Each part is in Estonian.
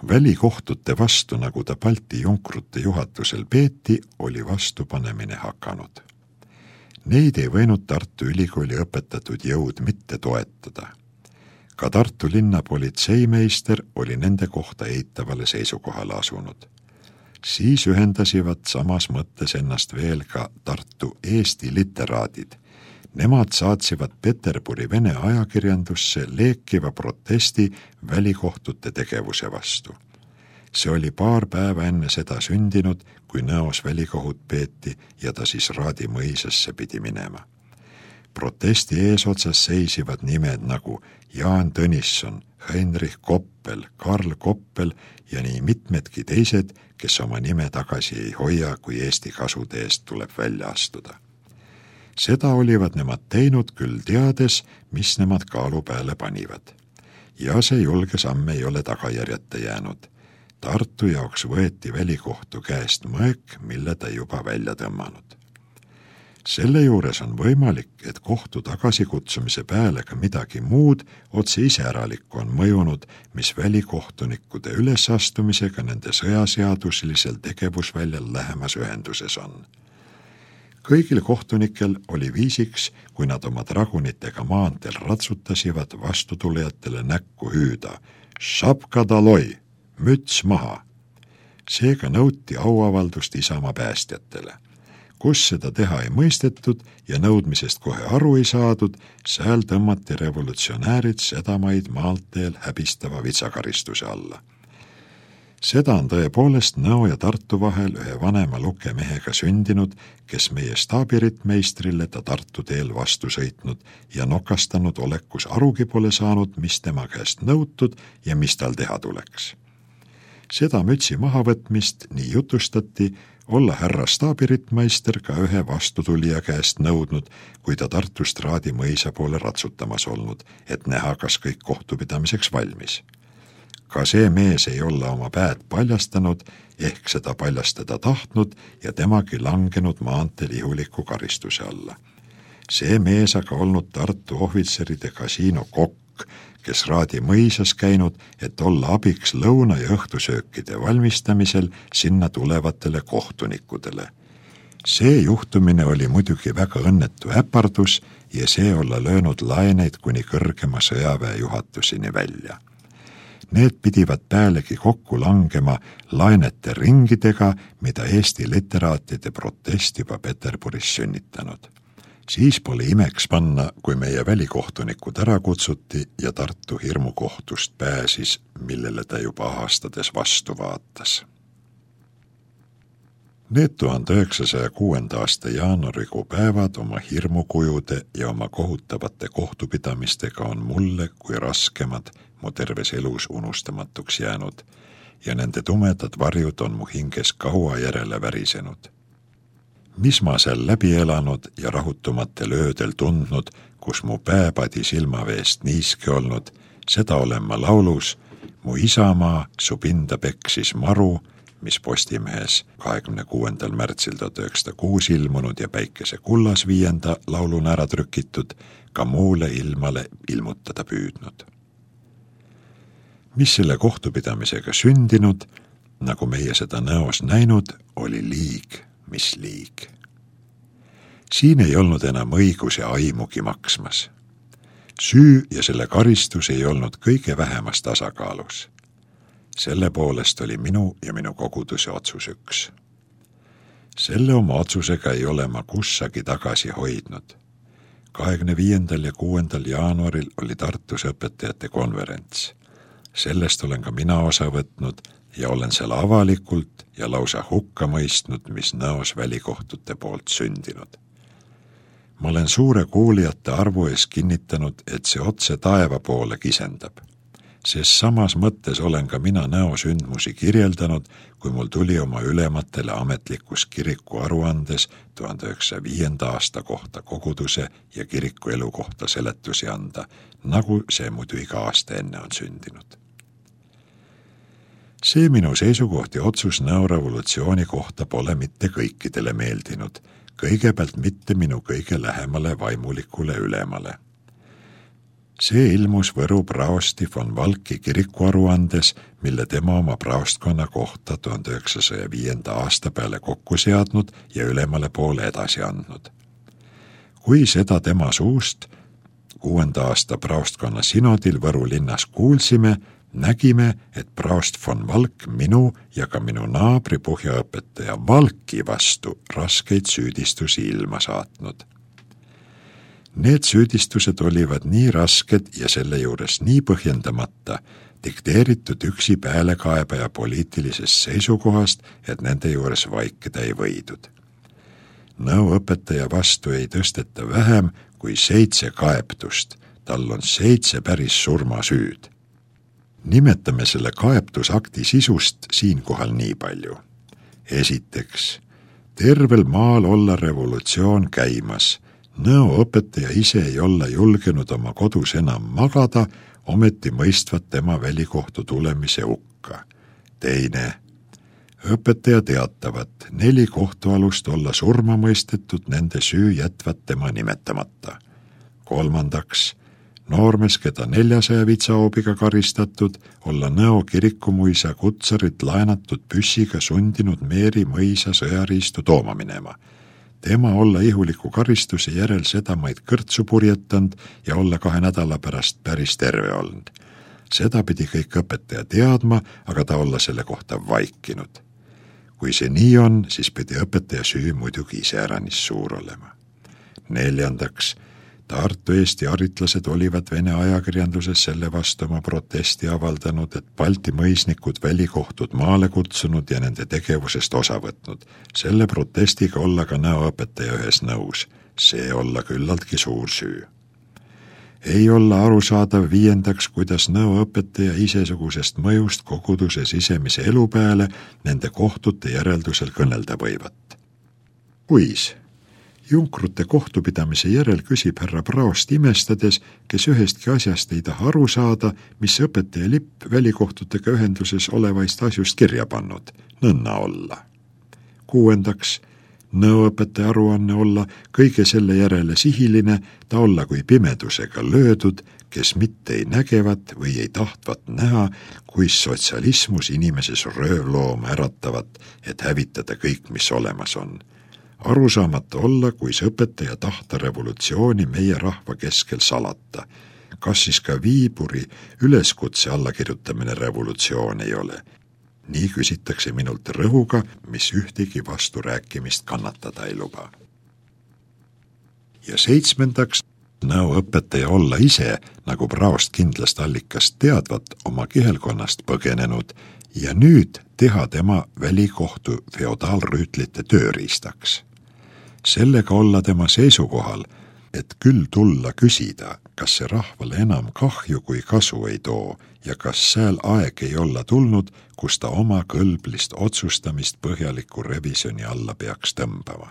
Välikohtute vastu, nagu ta Balti junkrute juhatusel peeti, oli vastupanemine hakanud. Neid ei võinud Tartu Ülikooli õpetatud jõud mitte toetada. Ka Tartu linna politseimeister oli nende kohta eitavale seisukohale asunud. Siis ühendasivad samas mõttes ennast veel ka Tartu Eesti literaadid. Nemad saatsivad Peterburi vene ajakirjandusse leekiva protesti välikohtute tegevuse vastu. See oli paar päeva enne seda sündinud, kui Nõos välikohut peeti ja ta siis Raadi mõisasse pidi minema. Protesti eesotsas seisivad nimed nagu Jaan Tõnisson, Heinrich Koppel, Karl Koppel ja nii mitmedki teised, kes oma nime tagasi ei hoia, kui Eesti kasude eest tuleb välja astuda. Seda olivad nemad teinud küll teades, mis nemad kaalu peale panivad. Ja see julge samm ei ole tagajärjeta jäänud. Tartu jaoks võeti välikohtu käest mõek, mille ta juba välja tõmmanud. Selle juures on võimalik, et kohtu tagasikutsumise peale ka midagi muud otse iseäralikku on mõjunud, mis välikohtunikude ülesastumisega nende sõjaseaduslisel tegevusväljal lähemas ühenduses on. Kõigil kohtunikel oli viisiks, kui nad oma dragunitega maanteel ratsutasivad vastutulijatele näkku hüüda šapka daloi, müts maha. Seega nõuti auavaldust Isamaa päästjatele. Kus seda teha ei mõistetud ja nõudmisest kohe aru ei saadud, sääl tõmmati revolutsionäärid sedamaid maanteel häbistava vitsakaristuse alla. Seda on tõepoolest Nõo ja Tartu vahel ühe vanema lukemehega sündinud, kes meie staabiritmeistrile ta Tartu teel vastu sõitnud ja nokastanud olekus arugi pole saanud, mis tema käest nõutud ja mis tal teha tuleks. Seda mütsi mahavõtmist nii jutustati, olla härra staabiritmeister ka ühe vastutulija käest nõudnud, kui ta Tartust Raadi mõisa poole ratsutamas olnud, et näha, kas kõik kohtupidamiseks valmis. Ka see mees ei olla oma päed paljastanud, ehk seda paljastada tahtnud ja temagi langenud maanteel ihuliku karistuse alla. See mees aga olnud Tartu ohvitseride kasiino kokk, kes Raadi mõisas käinud, et olla abiks lõuna- ja õhtusöökide valmistamisel sinna tulevatele kohtunikudele. See juhtumine oli muidugi väga õnnetu äpardus ja see olla löönud laeneid kuni kõrgema sõjaväe juhatuseni välja. Need pidivad päälegi kokku langema laenete ringidega, mida Eesti literaatide protest juba Peterburis sünnitanud. Siis pole imeks panna, kui meie välikohtunikud ära kutsuti ja Tartu hirmukohtust pääsis, millele ta juba ahastades vastu vaatas. Need 1906. aasta jaanuarikuu päevad oma hirmukujude ja oma kohutavate kohtupidamistega on mulle kui raskemad mu terves elus unustamatuks jäänud ja nende tumedad varjud on mu hinges kaua järele värisenud. Mis ma seal läbi elanud ja rahutumatel öödel tundnud, kus mu pääpadi silmaveest niiske olnud, seda olen ma laulus Mu isamaa su pinda peksis maru, mis Postimehes 26. märtsil 1906 ilmunud ja Päikese kullas 5. lauluna ära trükitud, ka muule ilmale ilmutada püüdnud. Mis selle kohtupidamisega sündinud, nagu meie seda Nõos näinud, oli liig, mis liig. Siin ei olnud enam õigus ja aimugi maksmas. Süü ja selle karistus ei olnud kõige vähemas tasakaalus. Selle poolest oli minu ja minu koguduse otsus üks. Selle oma otsusega ei ole ma kussagi tagasi hoidnud. 25. ja 6. jaanuaril oli Tartus õpetajate konverents. Sellest olen ka mina osa võtnud ja olen seal avalikult ja lausa hukka mõistnud, mis Nõos välikohtute poolt sündinud. Ma olen suure kuulijate arvu ees kinnitanud, et see otse taeva poole kisendab. Sest samas mõttes olen ka mina Nõo sündmusi kirjeldanud, kui mul tuli oma ülematele ametlikus kiriku aruandes 1905. aasta kohta koguduse ja kiriku elu kohta seletusi anda, nagu see muidu iga aasta enne on sündinud. See minu seisukoht ja otsus Nõo revolutsiooni kohta pole mitte kõikidele meeldinud, kõigepealt mitte minu kõige lähemale vaimulikule ülemale. See ilmus Võru praosti von Valki kirikuaruandes, mille tema oma praostkonna kohta 1905. aasta peale kokku seadnud ja ülemale poole edasi andnud. Kui seda tema suust 6. aasta praostkonna sinodil Võru linnas kuulsime, nägime, et praost von Valk minu ja ka minu naabri põhjaõpetaja Valki vastu raskeid süüdistusi ilma saatnud. Need süüdistused olivad nii rasked ja selle juures nii põhjendamata, dikteeritud üksi päälekaebaja poliitilisest seisukohast, et nende juures vaikida ei võidud. Nõuõpetaja vastu ei tõsteta vähem kui 7 kaebtust, tal on 7 päris surmasüüd. Nimetame selle kaebtusakti sisust siinkohal nii palju. Esiteks, tervel maal olla revolutsioon käimas. Nõuõpetaja ise ei olla julgenud oma kodus enam magada, ometi mõistvad tema välikohtu tulemise hukka. Teine, õpetaja teatavat 4 kohtualust olla surma mõistetud, nende süü jätvad tema nimetamata. Kolmandaks, noormes, keda 400 vitsahoobiga karistatud, olla Nõo kirikumuisa kutsarit laenatud püssiga sundinud Meeri mõisa sõjariistu tooma minema. Tema olla ihuliku karistuse järel sedamaid kõrtsu purjetanud ja olla 2 nädala pärast päris terve olnud. Seda pidi kõik õpetaja teadma, aga ta olla selle kohta vaikinud. Kui see nii on, siis pidi õpetaja süü muidugi iseäranis suur olema. Neljandaks, Tartu Eesti aritlased olivad Vene ajakirjanduses selle vastu oma protesti avaldanud, et Balti mõisnikud välikohtud maale kutsunud ja nende tegevusest osa võtnud. Selle protestiga olla ka nõuõpetaja ühes nõus. See olla küllaltki suur süü. Ei olla arusaadav viiendaks, kuidas nõuõpetaja isesugusest mõjust koguduse sisemise elu peale nende kohtute järeldusel kõnelda võivat. Kuis? Junkrute kohtupidamise järel küsib härra praost imestades, kes ühestki asjast ei taha aru saada, mis õpetaja lipp välikohtutega ühenduses olevaist asjust kirja pannud, nõnna olla. Kuuendaks, nõuõpetaja aruanne olla kõige selle järele sihiline, ta olla kui pimedusega löödud, kes mitte ei nägevat või ei tahtvat näha, kuis sotsialismus inimeses röövlooma äratavat, et hävitada kõik, mis olemas on. Arusaamata olla, kuis õpetaja tahta revolutsiooni meie rahva keskel salata. Kas siis ka Viiburi üleskutse allakirjutamine revolutsioon ei ole? Nii küsitakse minult rõhuga, mis ühtegi vasturääkimist kannatada ei luba. Ja 7. nõuõpetaja olla ise, nagu praost kindlast allikast teadvat, oma kihelkonnast põgenenud ja nüüd teha tema välikohtu feodaalrüütlite tööriistaks. Sellega olla tema seisukohal, et küll tulla küsida, kas see rahvale enam kahju kui kasu ei too ja kas sääl aeg ei olla tulnud, kus ta oma kõlblist otsustamist põhjaliku revisjoni alla peaks tõmbama.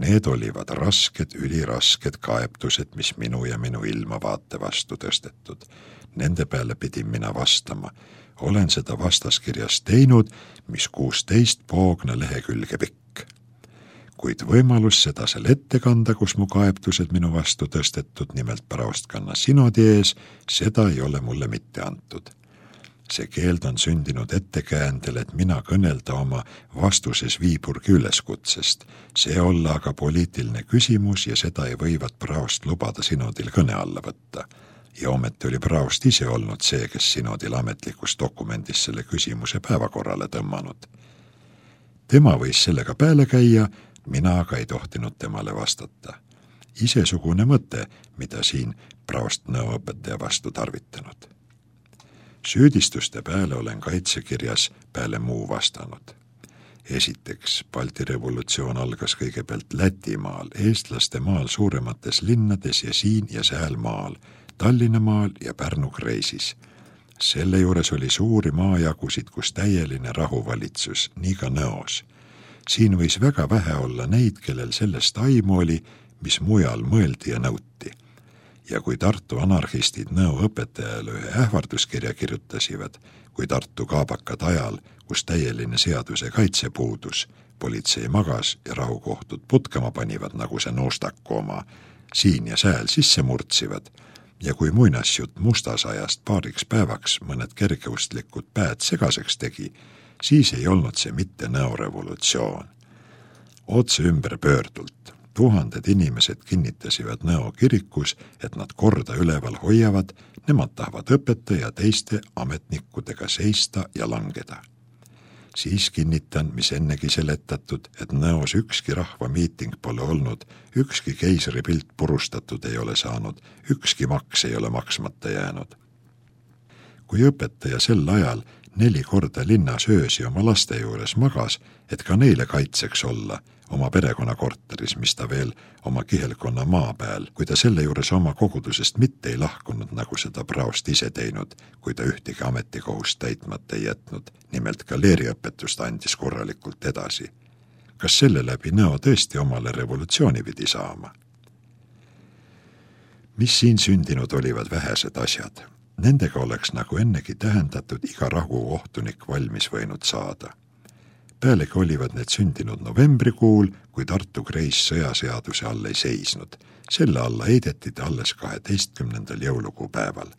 Need olivad rasked, ülirasked kaebtused, mis minu ja minu ilmavaate vastu tõstetud. Nende peale pidin mina vastama. Olen seda vastaskirjas teinud, mis 16 poogna lehekülge pikk. Kuid võimalus seda seal ette kanda, kus mu kaebtused minu vastu tõstetud, nimelt praostkanna sinodi ees, seda ei ole mulle mitte antud. See keeld on sündinud ettekäändel, et mina kõnelda oma vastuses Viiburgi üleskutsest. See olla aga poliitiline küsimus ja seda ei võivat praost lubada sinodil kõne alla võtta. Ja ometi oli praost ise olnud see, kes sinodil ametlikus dokumendis selle küsimuse päevakorrale tõmmanud. Tema võis sellega peale käia, mina aga ei tohtinud temale vastata. Isesugune mõte, mida siin praost nõuõpetaja vastu tarvitanud. Süüdistuste peale olen kaitsekirjas peale muu vastanud. Esiteks, Balti revolutsioon algas kõigepealt Lätimaal, eestlaste maal suuremates linnades ja siin ja sääl maal, Tallinnamaal ja Pärnu kreisis. Selle juures oli suuri maajagusid, kus täieline rahuvalitsus, nii ka Nõos. Siin võis väga vähe olla neid, kellel sellest aimu oli, mis mujal mõeldi ja nõuti. Ja kui Tartu anarhistid nõuõpetajale ühe ähvarduskirja kirjutasivad, kui Tartu kaabakad ajal, kus täieline seaduse kaitse puudus, politsei magas ja rahukohtud putkama panivad, nagu see Nuustaku oma, siin ja sääl sisse murtsivad, ja kui muinasjutt mustasajast paariks päevaks mõned kergeustlikud päed segaseks tegi, siis ei olnud see mitte näorevolutsioon. Otse ümberpöördult. Tuhanded inimesed kinnitasivad Nõo kirikus, et nad korda üleval hoiavad, nemad tahavad õpetaja ja teiste ametnikkudega seista ja langeda. Siis kinnitan, mis ennegi seletatud, et Nõos ükski rahvamiiting pole olnud, ükski keisri pilt purustatud ei ole saanud, ükski maks ei ole maksmata jäänud. Kui õpetaja sel ajal 4 korda linnas öösi oma laste juures magas, et ka neile kaitseks olla, oma perekonnakorteris, mis ta veel oma kihelkonna maa peal, kui ta selle juures oma kogudusest mitte ei lahkunud, nagu seda praost ise teinud, kui ta ühtegi ametikohust täitmata ei jätnud, nimelt galeeriõpetust andis korralikult edasi. Kas selle läbi Nõo tõesti omale revolutsiooni pidi saama? Mis siin sündinud olivad vähesed asjad? Nendega oleks nagu ennegi tähendatud iga rahukohtunik valmis võinud saada. Pealegi olivad need sündinud novembrikuul, kui Tartu Kreis sõjaseaduse all ei seisnud. Selle alla heideti ta alles 12. jõulukuu päeval.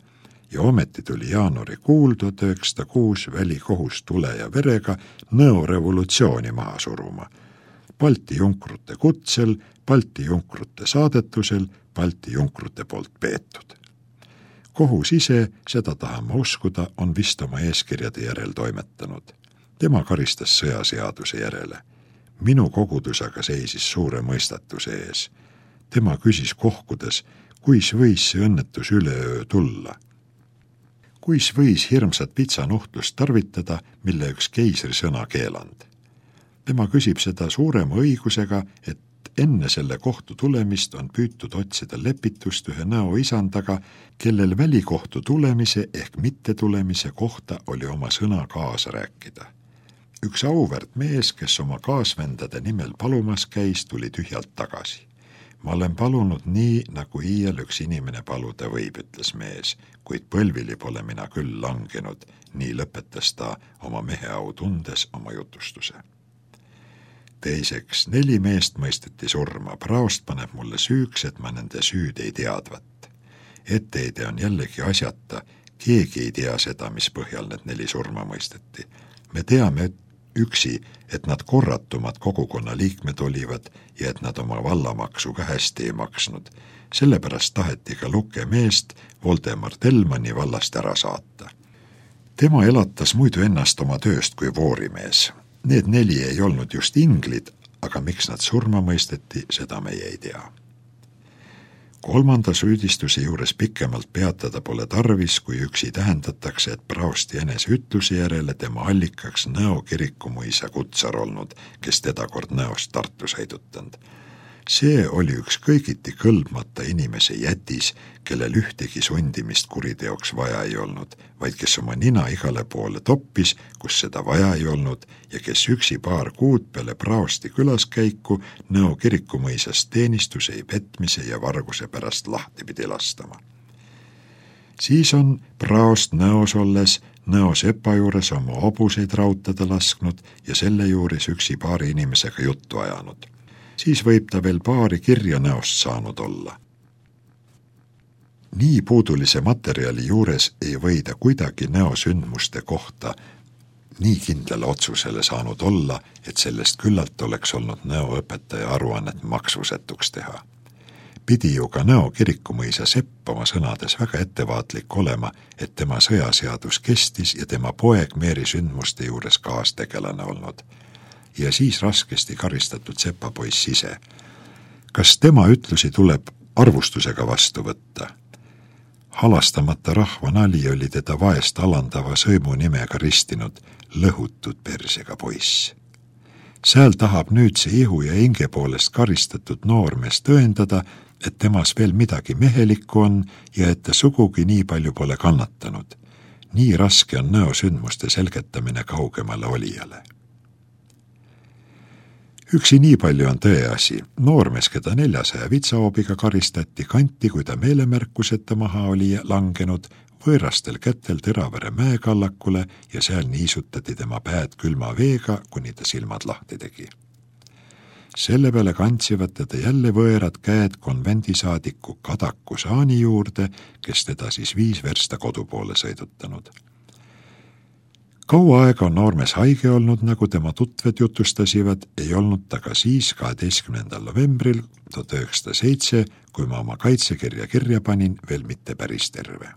Ja ometi tuli jaanuarikuul 1906 välikohus tule ja verega Nõo revolutsiooni maha suruma. Balti junkrute kutsel, Balti junkrute saadetusel, Balti junkrute poolt peetud. Kohus ise, seda tahama uskuda, on vist oma eeskirjade järel toimetanud. Tema karistas sõjaseaduse järele. Minu kogudus aga seisis suure mõistatuse ees. Tema küsis kohkudes, kuis võis see õnnetus üleöö tulla. Kuis võis hirmsat pitsanuhtlust tarvitada, mille üks keisri sõna keeland. Tema küsib seda suurema õigusega, et enne selle kohtu tulemist on püütud otsida lepitust ühe Nõo isandaga, kellel välikohtu tulemise ehk mittetulemise kohta oli oma sõna kaasa rääkida. Üks auväärt mees, kes oma kaasvendade nimel palumas käis, tuli tühjalt tagasi. Ma olen palunud nii, nagu iial üks inimene paluda võib, ütles mees, kuid põlvili pole mina küll langenud, nii lõpetas ta oma meheau tundes oma jutustuse. Teiseks, 4 meest mõisteti surma, praost paneb mulle süüks, et ma nende süüd ei teadvat. Etteide on jällegi asjata, keegi ei tea seda, mis põhjal need 4 surma mõisteti. Me teame üksi, et nad korratumad kogukonna liikmed olivad ja et nad oma vallamaksu ka hästi ei maksnud. Sellepärast taheti ka Luke meest Voldemar Telmani vallast ära saata. Tema elatas muidu ennast oma tööst kui voorimees. Need 4 ei olnud just inglid, aga miks nad surma mõisteti, seda meie ei tea. 3. süüdistuse juures pikemalt peatada pole tarvis, kui üksi tähendatakse, et praosti enese ütluse järele tema allikaks Nõo kirikumuisa kutsar olnud, kes teda kord Nõost Tartu sõidutanud. See oli üks kõigiti kõlbmata inimese jätis, kellel ühtegi sundimist kuriteoks vaja ei olnud, vaid kes oma nina igale poole toppis, kus seda vaja ei olnud ja kes üksi paar kuud peale praosti külaskäiku Nõo kirikumõisast teenistuse, petmise ja varguse pärast lahti pidi lastama. Siis on praost Nõos olles Nõo sepa juures oma hobuseid rautada lasknud ja selle juures üksi paari inimesega juttu ajanud. Siis võib ta veel paari kirja Nõost saanud olla. Nii puudulise materjali juures ei või ta kuidagi Nõo sündmuste kohta nii kindlale otsusele saanud olla, et sellest küllalt oleks olnud Nõo õpetaja aruannet maksusetuks teha. Pidi ju ka Nõo kirikumõisa sepp oma sõnades väga ettevaatlik olema, et tema sõjaseadus kestis ja tema poeg Meeri sündmuste juures kaastegelane olnud. Ja siis raskesti karistatud sepapoiss ise. Kas tema ütlusi tuleb arvustusega vastu võtta? Halastamata rahva nali oli teda vaest alandava sõimu nimega ristinud lõhutud persega poiss. Sääl tahab nüüd see ihu ja hinge poolest karistatud noormees tõendada, et temas veel midagi mehelikku on ja et ta sugugi nii palju pole kannatanud. Nii raske on Nõo sündmuste selgetamine kaugemale olijale. Üksi nii palju on tõeasi. Noormees, keda 400 vitsahoobiga karistati, kanti, kui ta meelemärkuseta maha oli langenud, võõrastel kätel Teravere mäekallakule ja seal niisutati tema päed külma veega, kuni ta silmad lahti tegi. Selle peale kantsivad teda jälle võõrad käed konvendisaadiku Kadaku Saani juurde, kes teda siis 5 versta kodu poole sõidutanud. Kaua aega on noormees haige olnud, nagu tema tutved jutustasivad, ei olnud ta ka siis 12. novembril 1907, kui ma oma kaitsekirja kirja panin, veel mitte päris terve.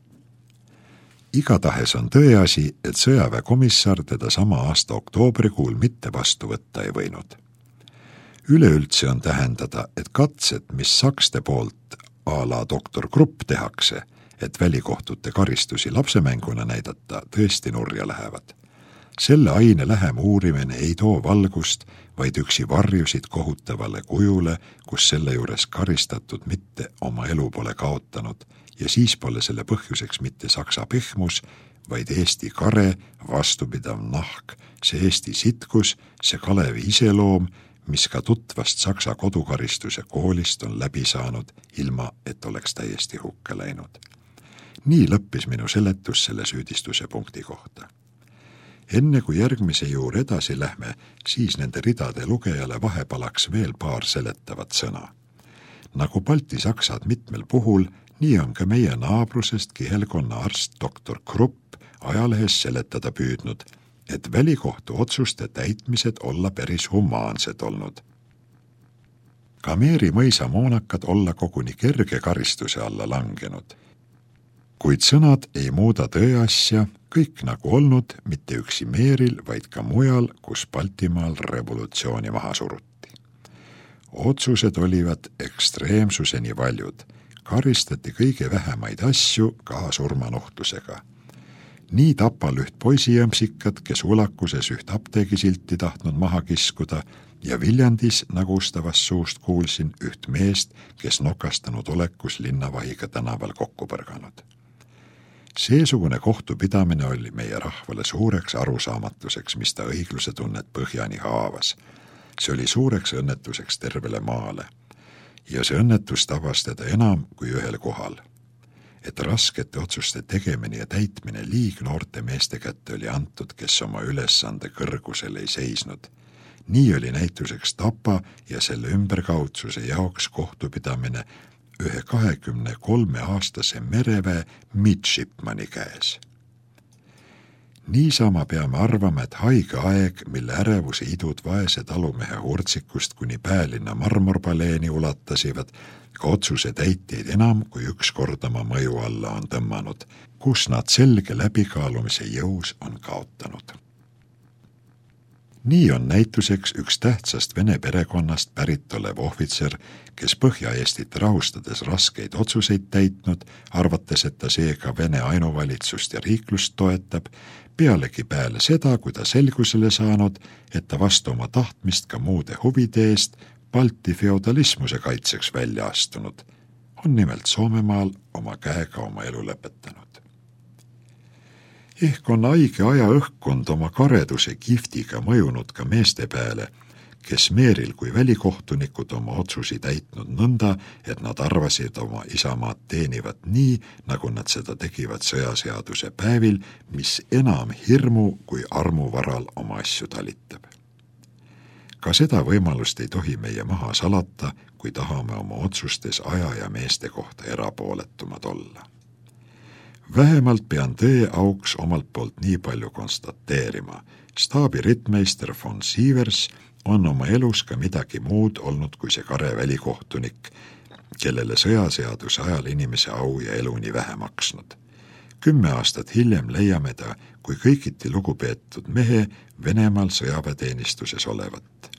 Igatahes on tõeasi, et sõjaväekomissar teda sama aasta oktoobrikuul mitte vastu võtta ei võinud. Üleüldse on tähendada, et katsed, mis sakste poolt a la doktor Krupp tehakse, et välikohtute karistusi lapsemänguna näidata, tõesti nurja lähevad. Selle aine lähem uurimine ei too valgust, vaid üksi varjusid kohutavale kujule, kus selle juures karistatud mitte oma elu pole kaotanud ja siis pole selle põhjuseks mitte saksa pehmus, vaid Eesti kare, vastupidav nahk, see Eesti sitkus, see Kalevi iseloom, mis ka tutvast saksa kodukaristuse koolist on läbi saanud, ilma et oleks täiesti hukka läinud. Nii lõppis minu seletus selle süüdistuse punkti kohta. Enne kui järgmise juurde edasi lähme, siis nende ridade lugejale vahepalaks veel paar seletavat sõna. Nagu baltisaksad mitmel puhul, nii on ka meie naabrusest kihelkonna arst doktor Krupp ajalehes seletada püüdnud, et välikohtu otsuste täitmised olla päris humaansed olnud. Ka Meeri mõisa moonakad olla koguni kerge karistuse alla langenud. Kuid sõnad ei muuda tõeasja, kõik nagu olnud, mitte üksi Meeril, vaid ka mujal, kus Baltimaal revolutsiooni maha suruti. Otsused olivad ekstreemsuseni valjud, karistati kõige vähemaid asju ka surmanuhtlusega. Nii Tapal üht poisijõmsikat, kes ulakuses üht apteegisilti tahtnud maha kiskuda, ja Viljandis, nagu ustavast suust kuulsin, üht meest, kes nokastanud olekus Linnavahiga tänaval kokku põrganud. Seesugune kohtupidamine oli meie rahvale suureks arusaamatuseks, mis ta õigluse tunnet põhjani haavas. See oli suureks õnnetuseks tervele maale. Ja see õnnetus tabas teda enam kui ühel kohal. Et raskete otsuste tegemine ja täitmine liignoorte meeste kätte oli antud, kes oma ülesande kõrgusel ei seisnud. Nii oli näituseks Tapa ja selle ümberkaudsuse jaoks kohtupidamine ühe 23-aastase mereväe midshipmani käes. Niisama peame arvama, et haige aeg, mille ärevuse idud vaese talumehe hurtsikust kuni Päälinna marmorpaleeni ulatasivad, ka otsuse täitjaid enam kui üks kord oma mõju alla on tõmmanud, kus nad selge läbikaalumise jõus on kaotanud. Nii on näituseks üks tähtsast vene perekonnast pärit olev ohvitser, kes Põhja-Eestit rahustades raskeid otsuseid täitnud, arvates, et ta seega Vene ainuvalitsust ja riiklust toetab, pealegi peale seda, kui ta selgusele saanud, et ta vastu oma tahtmist ka muude huvide eest Balti feodalismuse kaitseks välja astunud, on nimelt Soomemaal oma käega oma elu lõpetanud. Ehk on haige aja õhkkond oma kareduse kiftiga mõjunud ka meeste peale, kes Meeril kui välikohtunikud oma otsusi täitnud nõnda, et nad arvasid oma isamaad teenivat nii, nagu nad seda tegivad sõjaseaduse päevil, mis enam hirmu kui armu varal oma asju talitab. Ka seda võimalust ei tohi meie maha salata, kui tahame oma otsustes aja ja meeste kohta erapooletumad olla. Vähemalt pean tõe auks omalt poolt nii palju konstateerima. Staabi rittmeister von Sievers on oma elus ka midagi muud olnud kui see kare välikohtunik, kellele sõjaseaduse ajal inimese au ja elu nii vähe maksnud. 10 aastat hiljem leiame ta kui kõigiti lugupeetud mehe Venemaal sõjaväeteenistuses olevat.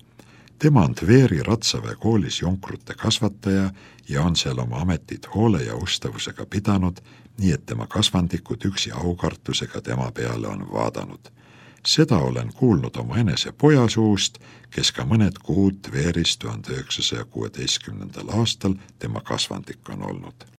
Tema on Tveri Ratsaväe koolis jonkrute kasvataja ja on seal oma ametit hoole ja ustavusega pidanud, nii et tema kasvandikud üksi aukartusega tema peale on vaadanud. Seda olen kuulnud oma enese poja suust, kes ka mõned kuud Tveris 1916. aastal tema kasvandik on olnud.